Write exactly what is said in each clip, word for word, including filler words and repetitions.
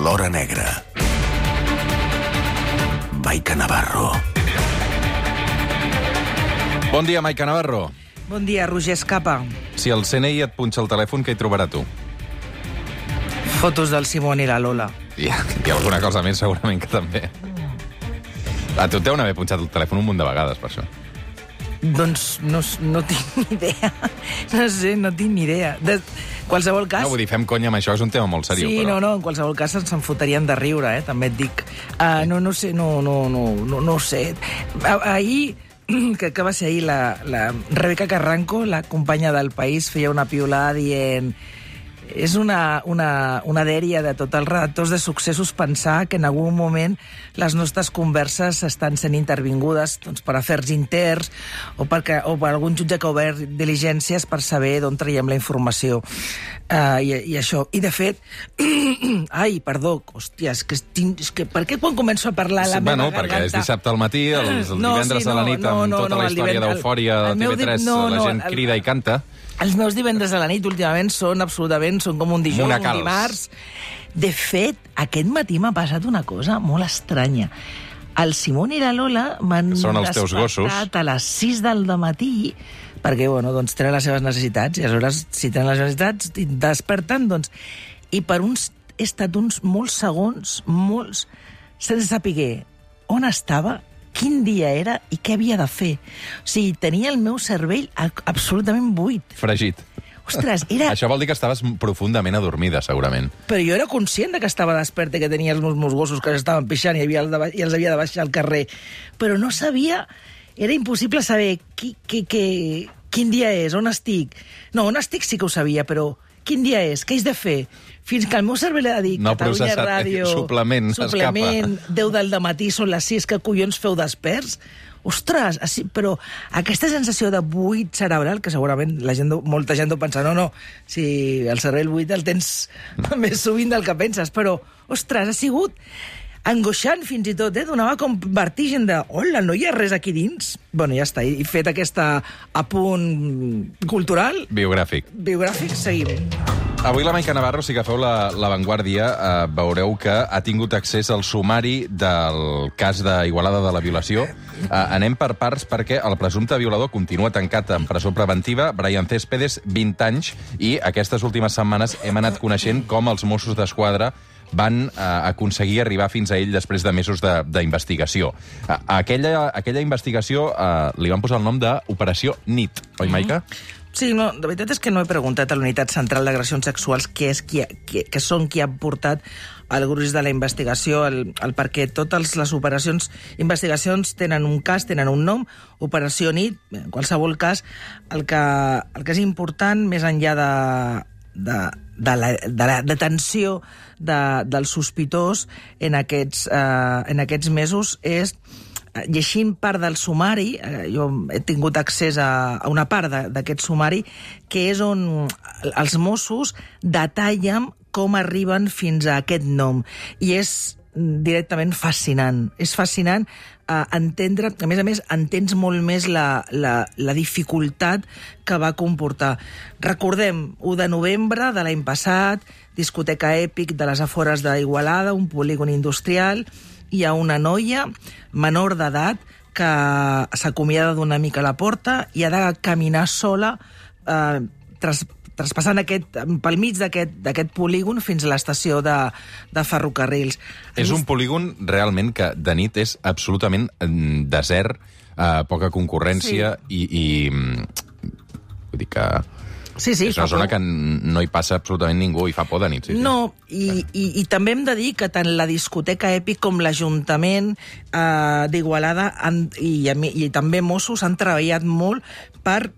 l'hora negra. Maica Navarro. Bon dia, Maica Navarro. Bon dia, Roger Escapa. Si el C N I et punxa el telèfon, què hi trobarà tu? Fotos del Simón i la Lola. I, i alguna cosa més, segurament que també. A tu et deuen haver punxat el telèfon un munt de vegades, per això. Doncs no, no tinc ni idea. No sé, no tinc ni idea. De qualsevol cas... No, vull dir, fem conya amb això, és un tema molt seriós. Sí, però... no, no, en qualsevol cas se'n fotrien de riure, eh? També et dic. Uh, no, no sé, no, no, no, no, no sé. Ah, ahir... que, que va ser ahir, la, la Rebeca Carranco, la companya del País, feia una piulada dient... És una, una, una dèria de tots els redactors de Successos pensar que en algun moment les nostres converses estan sent intervingudes doncs, per afers interns o, perquè, o per algun jutge que ha obert diligències per saber d'on traiem la informació. Uh, i, I això. I, de fet... Ai, perdó, hòstia, és que, tinc, és que per què quan començo a parlar la sí, meva bueno, garganta... perquè és dissabte al matí, els, el no, divendres sí, no, a la nit, no, amb no, tota no, la història d'Eufòria de T V tres, no, la no, gent el... crida i canta. Els meus divendres a la nit últimament són absolutament, són com un dijous, Monacals. un dimarts. De fet, aquest matí m'ha passat una cosa molt estranya. El Simón i la Lola m'han despertat a les sis del matí perquè, bueno, doncs tenen les seves necessitats i aleshores, si tenen les necessitats, desperten, doncs... I per uns... He estat uns molts segons, molts, sense saber on estava, quin dia era i què havia de fer. O sigui, tenia el meu cervell absolutament buit. Fregit. Ostres, era... Això vol dir que estaves profundament adormida, segurament. Però jo era conscient de que estava desperta i que tenia els meus, meus gossos que estaven pixant i, havia de, i els havia de baixar al carrer. Però no sabia... Era impossible saber qui, qui, qui, quin dia és, on estic. No, on estic sí que ho sabia, però quin dia és, què haig de fer? Fins que el meu cervell ha dit no, Catalunya Ràdio... Suplement, suplement deu del dematí, són les sis, que collons feu desperts? Ostres, així, però aquesta sensació de buit cerebral, que segurament la gent, molta gent deu pensar, no, no, si el cervell buit el tens més sovint del que penses, però, ostres, ha sigut angoixant fins i tot, eh? Donava com vertigen de, hola, no hi ha res aquí dins? Bueno, ja està, i fet aquest apunt cultural... Biogràfic. Biogràfic, seguim. Avui la Maica Navarro, si agafeu la, la Vanguardia, eh, veureu que ha tingut accés al sumari del cas d'Igualada de la violació. Eh, anem per parts perquè el presumpte violador continua tancat en presó preventiva, Brian Céspedes, vint anys, i aquestes últimes setmanes hem anat coneixent com els Mossos d'Esquadra van eh, aconseguir arribar fins a ell després de mesos d'investigació. Eh, aquella, aquella investigació eh, li van posar el nom d'Operació Nit, oi, Maica? Mm-hmm. Sí, no, la veritat és que no he preguntat a la Unitat Central d'Agressions Sexuals què és qui, qui, que són qui ha portat el gruix de la investigació, el, el perquè totes les operacions, investigacions tenen un cas, tenen un nom, Operació Nit, en qualsevol cas, el que, el que és important, més enllà de, de, de, la, de la detenció de, del sospitós en aquests, eh, en aquests mesos, és... llegint part del sumari, eh, jo he tingut accés a, a una part d'aquest sumari, que és on els Mossos detallen com arriben fins a aquest nom. I és directament fascinant. És fascinant eh, entendre, a més a més, entens molt més la, la, la dificultat que va comportar. Recordem, u de novembre de l'any passat, discoteca Èpic de les afores d'Igualada, un polígon industrial, hi ha una noia menor d'edat que s'acomiada d'una mica a la porta i ha de caminar sola eh, tras, traspassant aquest, pel mig d'aquest polígon fins a l'estació de, de ferrocarrils. És un polígon realment que de nit és absolutament desert, eh, poca concurrència, sí. i, i vull dir que... Sí, sí, és una zona por. Que no hi passa absolutament ningú i fa por de nit. Sí, no, sí. I, i, i també hem de dir que tant la discoteca Èpic com l'Ajuntament eh, d'Igualada i, i també Mossos han treballat molt per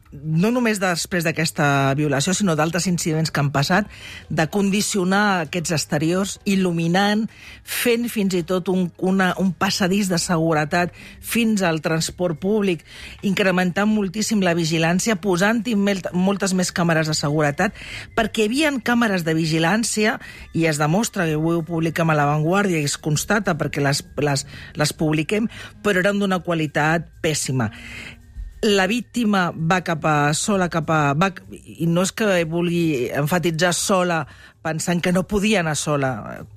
no només després d'aquesta violació, sinó d'altres incidents que han passat, de condicionar aquests exteriors, il·luminant, fent fins i tot un, una, un passadís de seguretat fins al transport públic, incrementant moltíssim la vigilància, posant-hi moltes més càmeres de seguretat, perquè hi havia càmeres de vigilància, i es demostra, que avui ho publiquem a La Vanguardia, i es constata perquè les, les, les publiquem, però eren d'una qualitat pèssima. La víctima va cap a sola, cap a... Va, i no és que vulgui enfatitzar sola pensant que no podia anar sola.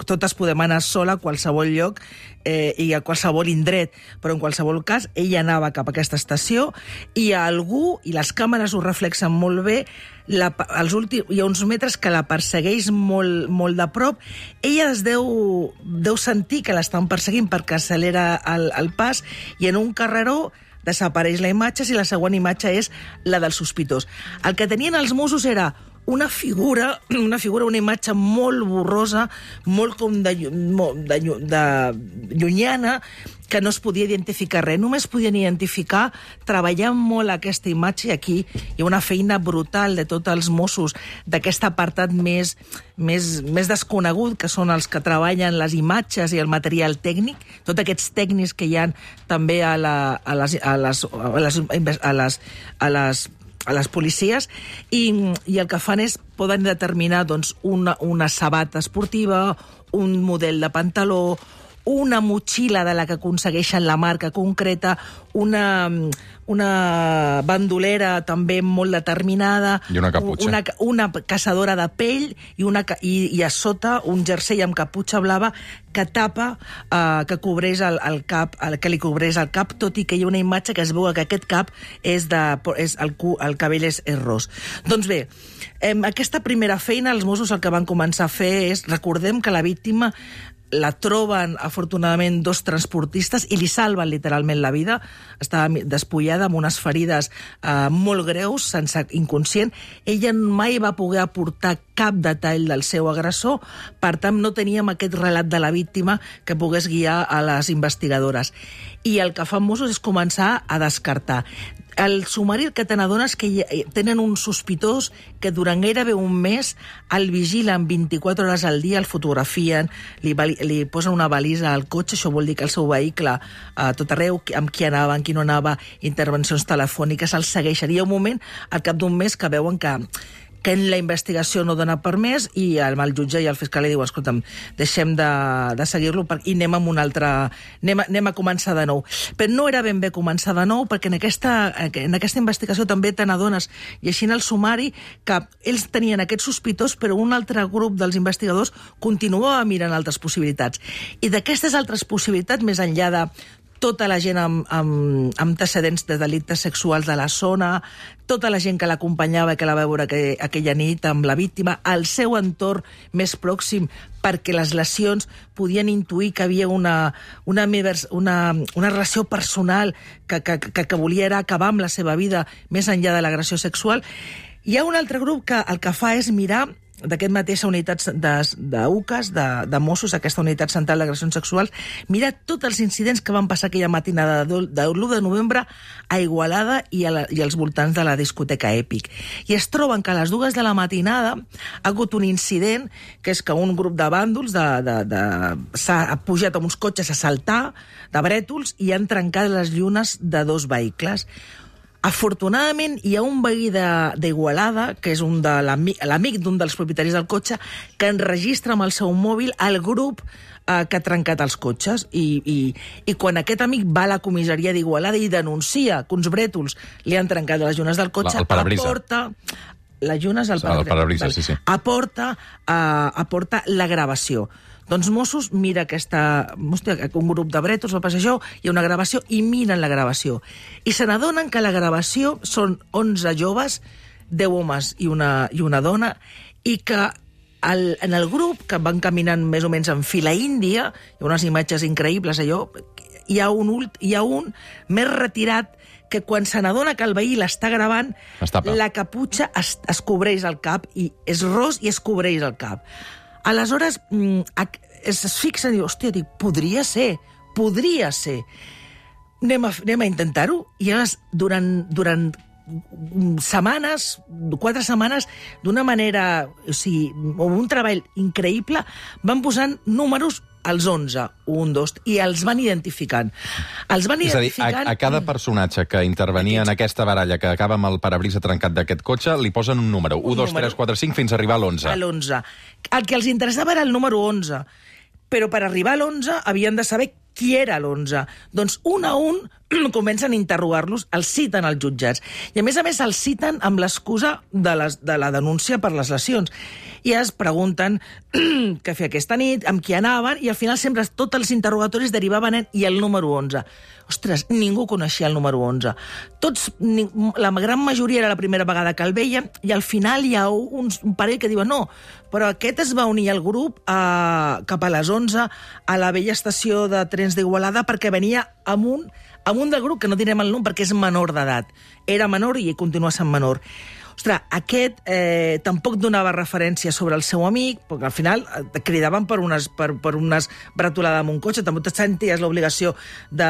Totes podem anar sola a qualsevol lloc eh, i a qualsevol indret, però en qualsevol cas ella anava cap a aquesta estació i a algú, i les càmeres ho reflexen molt bé, la, els últims, hi ha uns metres que la persegueix molt, molt de prop. Ella es deu, deu sentir que l'estan perseguint perquè accelera el, el pas i en un carreró desapareix la imatge i la següent imatge és la del sospitós. El que tenien els Mossos era una figura, una figura, una imatge molt borrosa, molt com de, de, de llunyana, que no es podia identificar res. Només podien identificar, treballant molt aquesta imatge, i aquí hi ha una feina brutal de tots els Mossos d'aquest apartat més, més, més desconegut, que són els que treballen les imatges i el material tècnic, tots aquests tècnics que hi ha també a, la, a, les, a, les, a, les, a, les, a les a les policies, i, i el que fan és poden determinar doncs, una, una sabata esportiva, un model de pantaló, una motxilla de la que aconsegueixen la marca concreta, una, una bandolera també molt determinada, i una caputxa. Una, una caçadora de pell i, una, i, i a sota un jersei amb caputxa blava que tapa, eh, que cobreix el, el cap, el, que li cobreix el cap, tot i que hi ha una imatge que es veu que aquest cap és de, és el, el cabell és, és ros. Doncs bé, eh, aquesta primera feina els Mossos el que van començar a fer és, recordem que la víctima la troben, afortunadament, dos transportistes i li salven literalment la vida. Estava despullada amb unes ferides eh, molt greus, sense inconscient. Ella mai va poder aportar cap detall del seu agressor, per tant, no teníem aquest relat de la víctima que pogués guiar a les investigadores. I el que fan Mossos és començar a descartar. El sumari el que te n'adones que hi, tenen un sospitós que durant gairebé un mes el vigilen vint-i-quatre hores al dia, el fotografien, li, li posen una balisa al cotxe, això vol dir que el seu vehicle a tot arreu, amb qui anava, amb qui no anava, intervencions telefòniques, el segueixen. I hi ha un moment, al cap d'un mes, que veuen que que la investigació no dona per més i el, el jutge i el fiscal li diu, escolta'm, deixem de, de seguir-lo i anem amb un altre... Anem a, anem a començar de nou. Però no era ben bé començar de nou, perquè en aquesta, en aquesta investigació també te n'adones, llegint el sumari, que ells tenien aquest sospitós, però un altre grup dels investigadors continuava mirant altres possibilitats. I d'aquestes altres possibilitats, més enllà de tota la gent amb, amb, amb antecedents de delictes sexuals de la zona, tota la gent que l'acompanyava i que la va veure que, aquella nit amb la víctima, el seu entorn més pròxim, perquè les lesions podien intuir que havia una, una, una, una relació personal que, que, que, que volia era acabar amb la seva vida més enllà de l'agressió sexual. Hi ha un altre grup que el que fa és mirar d'aquest mateixa unitat d'U C A S, de, de Mossos, aquesta unitat central d'agressions sexuals, mira tots els incidents que van passar aquella matinada de l'u de novembre a Igualada i, a la, i als voltants de la discoteca Èpic. I es troben que a les dues de la matinada ha hagut un incident, que és que un grup de bàndols de, de, de, s'ha pujat amb uns cotxes a saltar, de brètols, i han trencat les llunes de dos vehicles. Afortunadament, hi ha un veí d'Igualada, que és un de l'amic d'un dels propietaris del cotxe, que enregistra amb el seu mòbil el grup eh, que ha trencat els cotxes. I, i, I quan aquest amic va a la comissaria d'Igualada i denuncia que uns brètols li han trencat les llunes del cotxe, el parabrisa. Aporta... Les llunes al parabrisa, el parabrisa, sí, sí. Aporta, eh, aporta la gravació. Doncs Mossos mira aquesta... Hòstia, un grup de brètols va passar això, hi ha una gravació, i miren la gravació. I se n'adonen que la gravació són onze joves, deu homes i una, i una dona, i que el, en el grup, que van caminant més o menys en fila índia, hi ha unes imatges increïbles, allò, hi ha un, hi ha un més retirat que quan se n'adona que el veí l'està gravant, la caputxa es, es cobreix el cap, i és ros i es cobreix el cap. Aleshores, es fixa i diu, hòstia, dic, podria ser, podria ser. Anem a, anem a intentar-ho. I llavors, durant, durant setmanes, quatre setmanes, d'una manera, o sigui, un treball increïble, van posant números als onze, un, dos, i els van identificant. Els van identificant... És a dir, a, a cada personatge que intervenia en aquesta baralla que acaba amb el parabrisa trencat d'aquest cotxe, li posen un número, un, dos, tres, quatre, cinc, fins a arribar a l'onze. A l'onze. El que els interessava era el número onze, però per arribar a l'onze havien de saber qui era l'onze? Doncs un a un comencen a interrogar-los, els citen als jutjats. I a més a més els citen amb l'excusa de, les, de la denúncia per les lesions. I es pregunten què feia aquesta nit, amb qui anaven, i al final sempre tots els interrogatoris derivaven en i el número onze. Ostres, ningú coneixia el número onze. Tots, ni, la gran majoria era la primera vegada que el veien, i al final hi ha un, un parell que diuen no, però aquest es va unir al grup a, cap a les onze a la vella estació de trens d'Igualada perquè venia amb un, amb un del grup, que no direm el nom perquè és menor d'edat. Era menor i continua sent menor. Ostres, aquest eh, tampoc donava referència sobre el seu amic, perquè al final et cridaven per unes, per, per unes bretolades amb un cotxe, també te senties l'obligació de...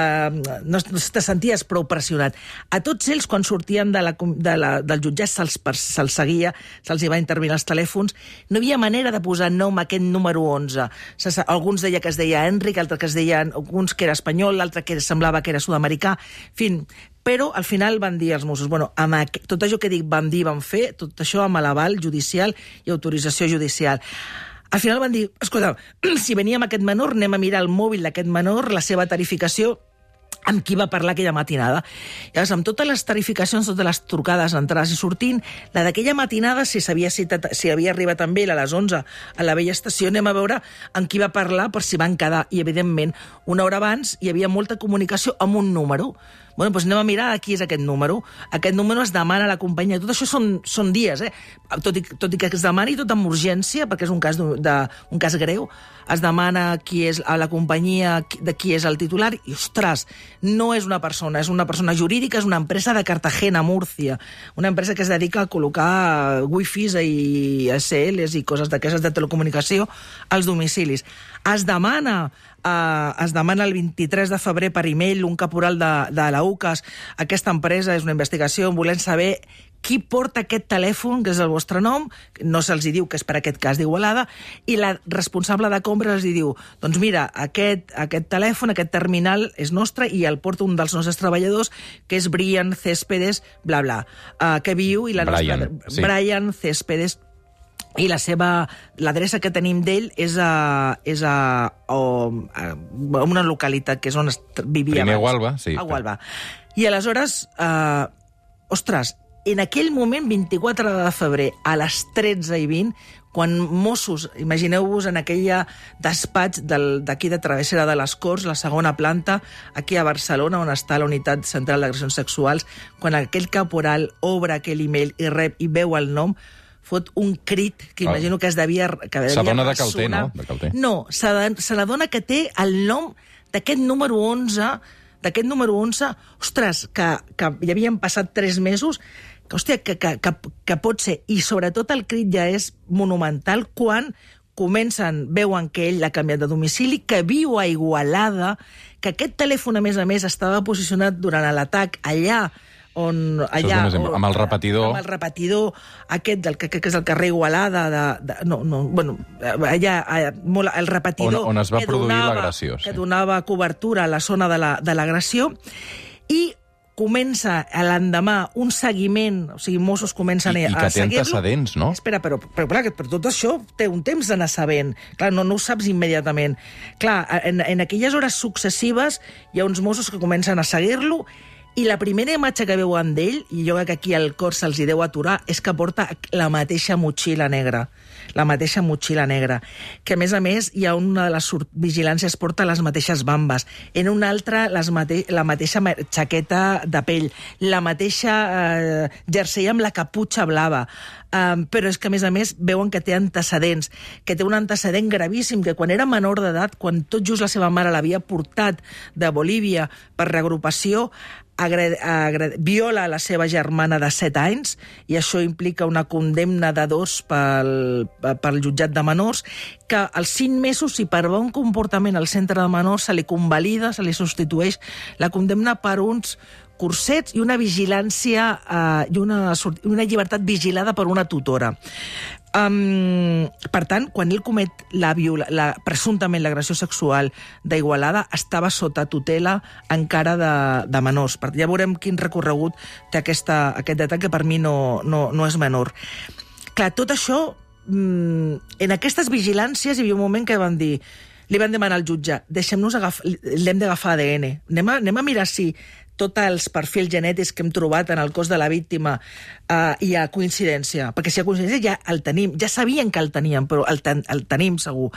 No, no te senties prou pressionat. A tots ells, quan sortien de la, de la, del jutjat, se'ls se seguia, se'ls hi va intervenir els telèfons, no hi havia manera de posar nom a aquest número onze. Alguns deia que es deia Enric, altres que es deien, alguns que era espanyol, l'altre que semblava que era sud-americà, en fi. Però al final van dir els Mossos, bueno, amb aquest, tot això que dic van dir, van fer, tot això amb l'aval judicial i autorització judicial. Al final van dir, escolta, si venia amb aquest menor, anem a mirar el mòbil d'aquest menor, la seva tarificació, amb qui va parlar aquella matinada. Llavors, amb totes les tarificacions, totes les trucades, entrades i sortint, la d'aquella matinada, si s'havia citat, si havia arribat amb ell a les onze a la vella estació, anem a veure amb qui va parlar per si van quedar. I, evidentment, una hora abans hi havia molta comunicació amb un número. Bueno, doncs anem a mirar a qui és aquest número. Aquest número es demana a la companyia. Tot això són, són dies, eh? Tot i, tot i que es demani tot amb urgència, perquè és un cas, de, de, un cas greu, es demana qui és a la companyia de qui és el titular, i, ostres, no és una persona, és una persona jurídica, és una empresa de Cartagena, Múrcia, una empresa que es dedica a col·locar wifis i S Ls i coses d'aquestes de telecomunicació als domicilis. Es demana Uh, es demana el vint-i-tres de febrer per e-mail un caporal de, de la U C A S. Aquesta empresa és una investigació, volem saber qui porta aquest telèfon, que és el vostre nom, no se'ls diu que és per aquest cas d'Igualada, i la responsable de compra els diu, doncs mira, aquest, aquest telèfon, aquest terminal és nostre i el porta un dels nostres treballadors, que és Brian Céspedes, bla, bla, uh, que viu... i la Brian, nostra, sí. Brian Céspedes, i la seva, l'adreça que tenim d'ell és a, és a, a, a una localitat que és on vivia Primer abans. a Gualba, sí. A Gualba. I aleshores, eh, ostres, en aquell moment, vint-i-quatre de febrer, a les tretze i vint, quan Mossos, imagineu-vos en aquella despatx d'aquí de Travessera de les Corts, la segona planta, aquí a Barcelona, on està la unitat central d'agressions sexuals, quan aquell caporal obre aquell e-mail i rep i veu el nom, fot un crit que imagino que es devia... S'adona de Calter, no? De Calter. No, se n'adona que té el nom d'aquest número onze, d'aquest número onze, ostres, que, que hi havien passat tres mesos, que, hòstia, que, que, que, que pot ser. I sobretot el crit ja és monumental quan comencen, veuen que ell l'ha canviat de domicili, que viu a Igualada, que aquest telèfon, a més a més, estava posicionat durant l'atac allà, on allà... On, amb el repetidor... Amb el repetidor aquest, del, que, que és el carrer Igualada, de, de, no, no, bueno, allà, allà molt, el repetidor... On, on es va produir l'agressió. Que sí. donava cobertura a la zona de l'agressió, i comença l'endemà un seguiment, o sigui, Mossos comencen I, a, i que a seguir-lo. té antecedents, no? Espera, però, però, clar, però tot això té un temps d'anar sabent. Clar, no, no ho saps immediatament. Clar, en, en aquelles hores successives hi ha uns Mossos que comencen a seguir-lo, i la primera imatge que veuen d'ell, i jo crec que aquí al cor se'ls hi deu aturar, és que porta la mateixa motxilla negra. La mateixa motxilla negra. Que, a més a més, hi ha una de les vigilàncies porta les mateixes bambes. En una altra, les mate la mateixa xaqueta de pell. La mateixa eh, jersei amb la caputxa blava. Um, però és que, a més a més, veuen que té antecedents, que té un antecedent gravíssim, que quan era menor d'edat, quan tot just la seva mare l'havia portat de Bolívia per reagrupació, Agre agre viola la seva germana de set anys, i això implica una condemna de dos pel, pel jutjat de menors, que als cinc mesos, si per bon comportament al centre de menors se li convalida, se li substitueix la condemna per uns cursets i una vigilància eh, i una, una llibertat vigilada per una tutora. Um, per tant, quan ell comet la viola, la, presumptament l'agressió sexual d'Igualada, estava sota tutela encara de, de menors. Per, ja veurem quin recorregut té aquesta, aquest detall, que per mi no, no, no és menor. Clar, tot això, mm, en aquestes vigilàncies hi havia un moment que van dir li van demanar al jutge, deixem-nos agafar, l'hem d'agafar A D N. Anem a, anem a mirar si tots els perfils genètics que hem trobat en el cos de la víctima uh, hi ha coincidència. Perquè si hi ha coincidència ja el tenim, ja sabien que el teníem, però el, ten, el tenim segur.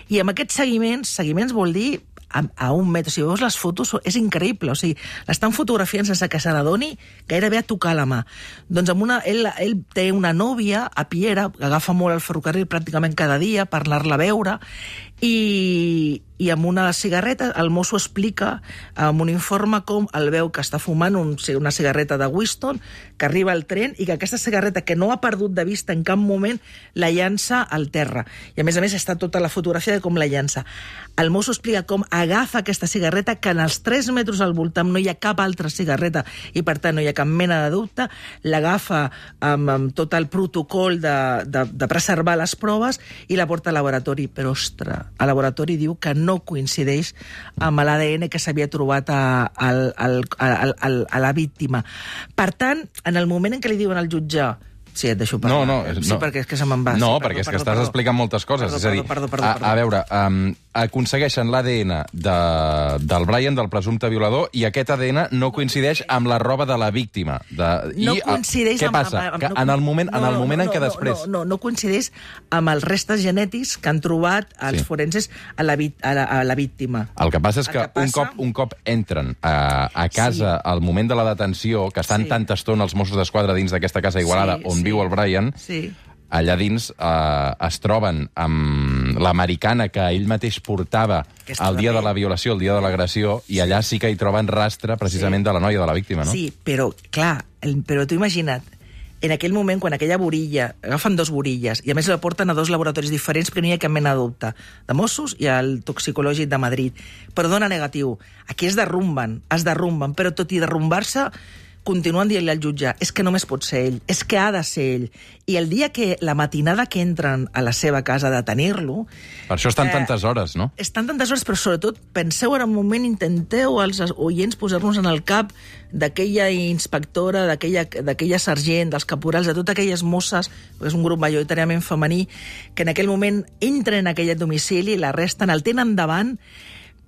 I amb aquests seguiments, seguiments vol dir a, a un metre. Si veus les fotos, és increïble. O sigui, l'estan fotografiant sense que se n'adoni gairebé a tocar la mà. Doncs amb una, ell, ell té una nòvia a Piera, que agafa molt el ferrocarril pràcticament cada dia per anar-la a veure, i, i amb una cigarreta el mosso explica amb un informe com el veu que està fumant un, una cigarreta de Winston, que arriba al tren i que aquesta cigarreta, que no ha perdut de vista en cap moment, la llança al terra. I a més a més està tota la fotografia de com la llança. El mosso explica com agafa aquesta cigarreta, que en els tres metres al voltant no hi ha cap altra cigarreta i per tant no hi ha cap mena de dubte, l'agafa amb, amb tot el protocol de, de, de preservar les proves i la porta al laboratori. Però, ostres, el laboratori diu que no coincideix amb l'A D N que s'havia trobat a, a, a, a, a, a la víctima. Per tant, en el moment en què li diuen al jutge... Sí, et deixo parlar. No, no, és, sí, no. perquè és que se me'n va. No, sí, perquè perdó, és que perdó, estàs perdó. explicant moltes coses. Perdó, és a dir, perdó, perdó, perdó, a, a veure, um, aconsegueixen l'A D N de, del Brian, del presumpte violador, i aquest A D N no coincideix amb la roba de la víctima. De, No i, coincideix què amb... passa? amb, amb Que no, en el moment, no, en, el moment no, en què no, després... No, no, no coincideix amb els restes genètics que han trobat els Sí. forenses a la, vi- a, la, a la víctima. El que passa és El que, que un, passa- cop, un cop entren a, a casa Sí. al moment de la detenció, que estan Sí. tanta estona els Mossos d'Esquadra dins d'aquesta casa a Igualada Sí, on sí. viu el Brian, Sí. allà dins eh, es troben amb l'americana que ell mateix portava Que estava el dia de bé. la violació, el dia de l'agressió, i allà sí que hi troben rastre precisament Sí. de la noia, de la víctima, no? Sí, però, clar, el, però tu imagina't, en aquell moment, quan aquella borilla, agafen dos borilles, i a més la porten a dos laboratoris diferents perquè no hi ha cap mena de dubte, de Mossos i al toxicològic de Madrid, però dona negatiu. Aquí es derrumben, es derrumben, però tot i derrumbar-se, continuen dient-li al jutge, és que només pot ser ell, és que ha de ser ell. I el dia que, la matinada que entren a la seva casa a detenir-lo... Per això estan Eh, tantes hores, no? Estan tantes hores, però sobretot penseu ara un moment, intenteu als oients posar-nos en el cap d'aquella inspectora, d'aquella d'aquella sergent, dels caporals, de totes aquelles mosses, perquè és un grup majoritàriament femení, que en aquell moment entren en aquell domicili, l'arresten, el tenen davant,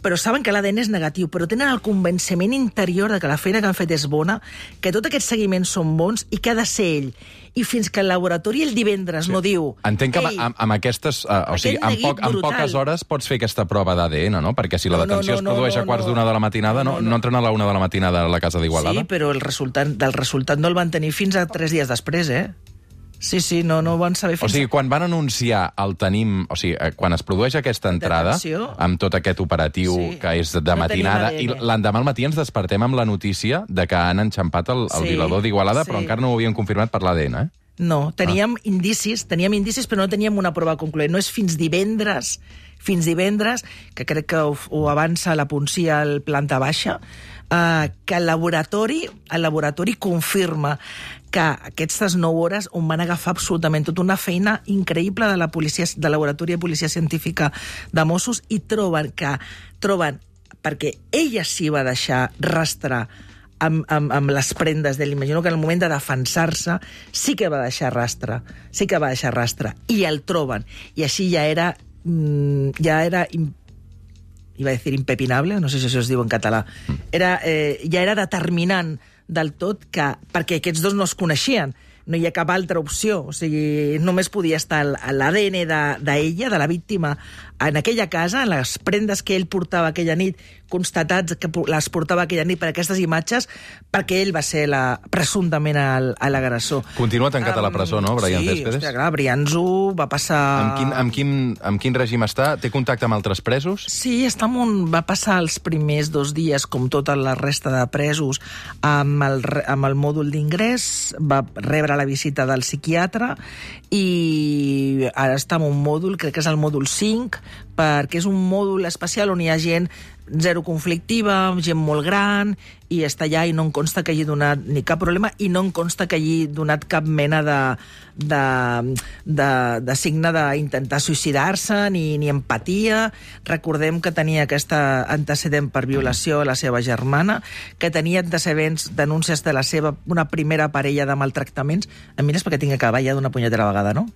però saben que l'A D N és negatiu, però tenen el convenciment interior de que la feina que han fet és bona, que tots aquests seguiments són bons i que ha de ser ell. I fins que el laboratori el divendres sí. no diu... Entenc que "Ei, amb, amb aquestes... Uh, o sigui, Aquest en, neguit poc, en brutal. poques hores pots fer aquesta prova d'A D N, no? Perquè si la No, no, detenció no, es no, produeix no, a quarts no. d'una de la matinada, no, No, no, no. entren a la una de la matinada a la casa d'Igualada? Sí, però el resultat, del resultat no el van tenir fins a tres dies després, eh? Sí, sí, no, no ho van saber O fins sigui, quan van anunciar el tenim... O sigui, eh, quan es produeix aquesta entrada, Detenció. amb tot aquest operatiu Sí. que és de No matinada, i tenim A D N. l'endemà al matí ens despertem amb la notícia de que han enxampat el, el Sí, violador d'Igualada, sí. però encara no ho havien confirmat per l'A D N, eh? No, teníem ah. indicis, teníem indicis, però no teníem una prova concloent. No és fins divendres, fins divendres, que crec que ho, ho avança la policia al planta baixa, eh, que el laboratori, el laboratori confirma que aquestes nou hores on van agafar absolutament tota una feina increïble de la policia, de laboratori de policia científica de Mossos, i troben que troben perquè ella sí va deixar rastre amb, amb, amb les prendes d'ell. Imagino que en el moment de defensar-se sí que va deixar rastre, sí que va deixar rastre, i el troben. I així ja era, mm, ja era, im, iba a dir impepinable, no sé si això es diu en català, era, eh, ja era determinant del tot que, perquè aquests dos no es coneixien, no hi ha cap altra opció, o sigui, només podia estar l'A D N d'ella, de, de la víctima, en aquella casa, en les prendes que ell portava aquella nit, constatats que les portava aquella nit per aquestes imatges, perquè ell va ser la, presumptament el- l'agressor. Continua tancat a la presó, no, Brian sí, Céspedes? Sí, clar, Brianzo va passar... Amb quin, amb, quin, amb quin règim està? Té contacte amb altres presos? Sí, està en un, va passar els primers dos dies, com tota la resta de presos, amb el, re- amb el mòdul d'ingrés, va rebre la visita del psiquiatre i ara està en un mòdul, crec que és el mòdul cinc, perquè és un mòdul especial on hi ha gent zero conflictiva, gent molt gran, i està allà i no em consta que hagi donat ni cap problema i no em consta que hagi donat cap mena de, de, de, de signe d'intentar suïcidar-se ni, ni empatia. Recordem que tenia aquest antecedent per violació a la seva germana, que tenia antecedents, denúncies de la seva una primera parella de maltractaments. A mi és perquè tinc que acabar ja d'una punyetera vegada, no?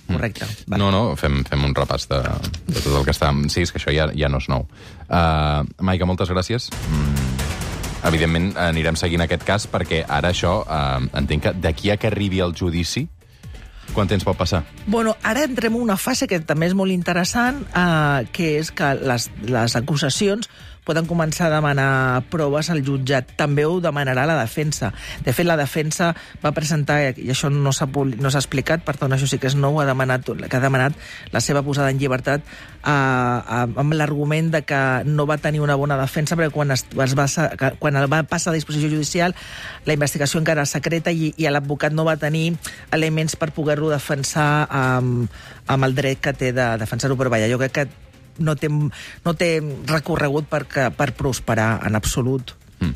correcte. Mm. No, no, fem, fem un repàs de, de tot el que està... Sí, és que això ja, ja no és nou. Uh, Maica, moltes gràcies. Mm. Evidentment, anirem seguint aquest cas, perquè ara això, uh, entenc que d'aquí a que arribi el judici, quant temps pot passar? Bueno, ara entrem en una fase que també és molt interessant, eh, que és que les, les acusacions poden començar a demanar proves al jutjat. També ho demanarà la defensa. De fet, la defensa va presentar, i això no s'ha no s'ha explicat, per tant, això sí que és nou, ha demanat, que ha demanat la seva posada en llibertat eh, amb l'argument de que no va tenir una bona defensa, perquè quan, es, es va, quan el va passar a disposició judicial, la investigació encara era secreta i, i l'advocat no va tenir elements per poder-lo defensar amb, amb el dret que té de defensar-ho. Però vaja, jo crec que no té, no té recorregut per, per prosperar en absolut. Mm.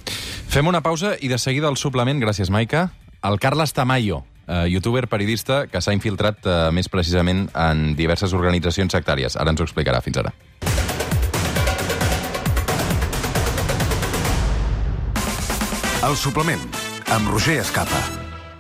Fem una pausa i de seguida el suplement, gràcies Maica, el Carles Tamayo, eh, youtuber periodista que s'ha infiltrat eh, més precisament en diverses organitzacions sectàries. Ara ens ho explicarà. Fins ara. El suplement, amb Roger Escapa.